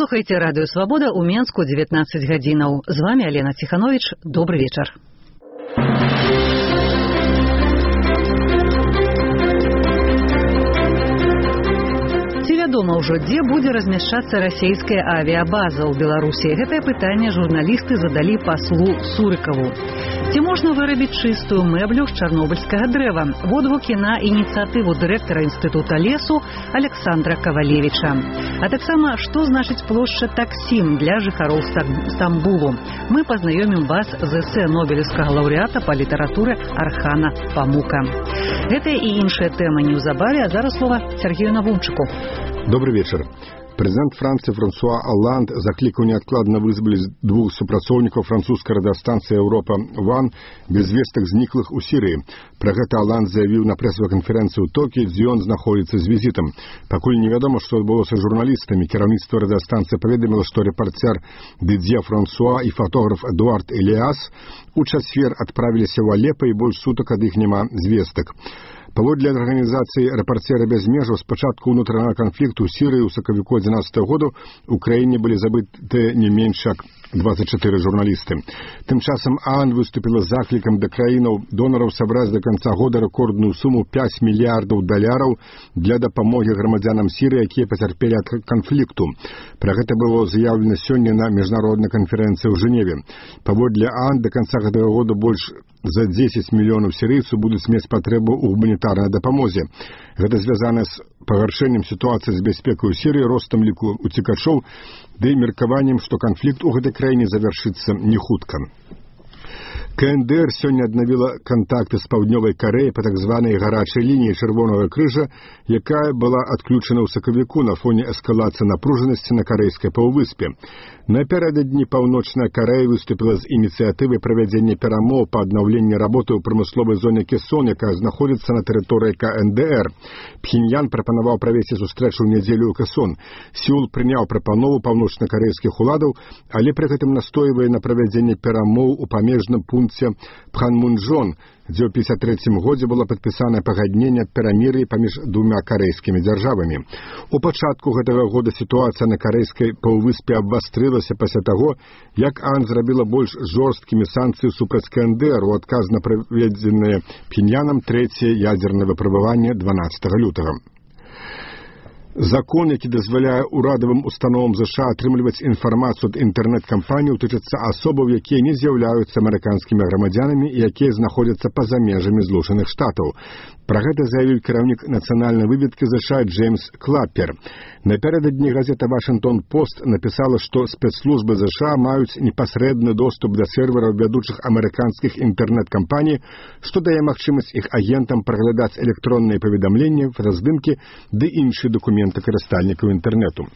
Слухайте радыё Свабода ў Менску 19 гадзінаў. З вами Алена Ціханович. Добрый вечар. Вядома ўжо, дзе будзе размяшчацца расійская авіябаза ў Беларусі. Гэтае пытанне журналісты задалі паслу Сурыкаву. Ці можна вырабіць чыстую мэблю з чарнобыльскага дрэва? Водгукі на ініцыятыву дырэктара інстытута лесу Александра Кавалевіча. А таксама, што значыць плошча Таксім для жыхароў Стамбулу? Мы пазнаёмім вас з эсэ нобелеўскага лаўрэата па літаратуры Архана Памука. Гэтая і іншая тэма неўзабаве, а зараз слова Сергею Навумчыку. Добрый вечер. Президент Франции Франсуа Олланд закликал неоткладно вызволить двух супрацоўнікаў французской радиостанции «Европа-1» без вестак зніклых у Сирии. Про гэта Олланд заявил на прэс-конференцыі ў Токіо, дзе ён знаходится с визитом. Пакуль невядома, што адбылося з журналістамі, кіраўніцтва радиостанции паведаміла, што рэпарцер Дидье Франсуа и фотограф Эдуард Элиас у чацвер адправіліся ў Алеппо, і больш сутак ад іх няма звестак. Паводле арганізацыі «Рэпарцеры без межаў», з пачатку ўнутранага канфлікту ў Сірыі ў сакавіку 2011 году ў краіне былі забыты не менш як 24 журналісты. Тым часам ААН выступіла з заклікам да краінаў-донараў сабраць да канца года рэкордную суму $5 мільярдаў для дапамогі грамадзянам Сірыі, якія пацярпелі ад канфлікту. Пра гэта было заяўлена сёння на міжнароднай канферэнцыі ў Жэневе. Паводле ААН да канца гэтага года больш за 10 мільёнаў сірыйцаў будуць мець патрэбу ў гуманітарнай дапамозе. Гэта звязана з пагаршэннем сітуацыі з бяспекай у Сірыі, ростам ліку уцекачоў, ды і меркаваннем, што канфлікт у гэтай краіне завяршыцца не хутка. КНДР сёння аднавіла кантакты з Паўднёвай Карэяй па так званай гарачай лініі Чырвонага крыжа, якая была адключана ў сакавіку на фоне эскалацыі напружанасці на карэйскай паўвыспе. Напярэдадні Паўночная Карэя выступіла з ініцыятывай правядзення перамоў па аднаўленні работы ў прамысловай зоне Кесон, якая знаходзіцца на тэрыторыі КНДР. Пхеньян прапанаваў правесці сустрэчу ў нядзелю ў Кесон. Сеул прыняў прапанову паўночнакарэйскіх уладаў, але пры гэтым настойвае на правядзенне перамоў у памежным пункце Пханмунджон, дзе ў 1953 годзе было падпісанае пагадненне аб перамір'і паміж двума карэйскімі дзяржавамі. У пачатку гэтага года сітуацыя на карэйскай паўвыспе абвастрылася пасля таго, як ААН зрабіла больш жорсткімі санкцыі супраць КНДР у адказ на праведзенае Пхеньянам трэцяе ядзернае выпрабаванне 12 лютага. Закон, які дазваляе урадавым установам ЗША атрымліваць інфармацыю ад інтэрнэт-кампаній, тычыцца асобаў, якія не з'яўляюцца амерыканскімі грамадзянамі і якія знаходзяцца па-за межамі Злучаных Штатаў. Пра гэта заявіў кіраўнік нацыянальнай выведкі ЗША Джеймс Клаппер. Напярэдадні газета «Вашингтон-Пост» напісала, што спецслужбы ЗША маюць непасрэдны доступ да сервераў вядучых амерыканскіх інтэрнэт-кампаній, што дае магчымасць іх агентам праглядаць электронныя паведамленні, фотаздымкі ды іншыя дакументы карыстальнікаў інтэрнэту.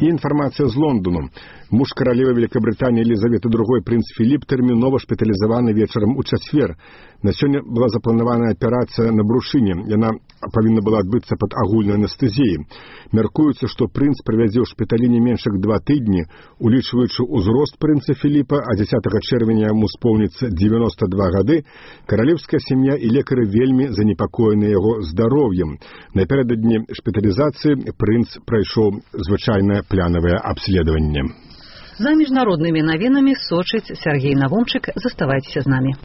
І інфармацыя з Лондону. Муж каралевы Великабрытаніі Елізаветы II, прынц Філіп, тэрмінова шпіталізаваны вечарам у чацвер. На сёння была запланавана аперацыя на брушыне. Яна павінна была адбыцца пад агульнай анестэзіяй. Мяркуецца, што прынц правядзе ў шпіталі не менш як 2 тыдні, улічваючы ўзрост прынца Філіпа, а 10 чэрвеня яму споўніцца 92 гады, каралеўская сям'я і лекары вельмі занепакоены яго здароўем. Напярэдадні шпіталізацыі прынц прайшоў звычайнае планавае абследаванне. За міжнароднымі навінамі сочыць Сергей Навумчык. Заставайцеся з намі.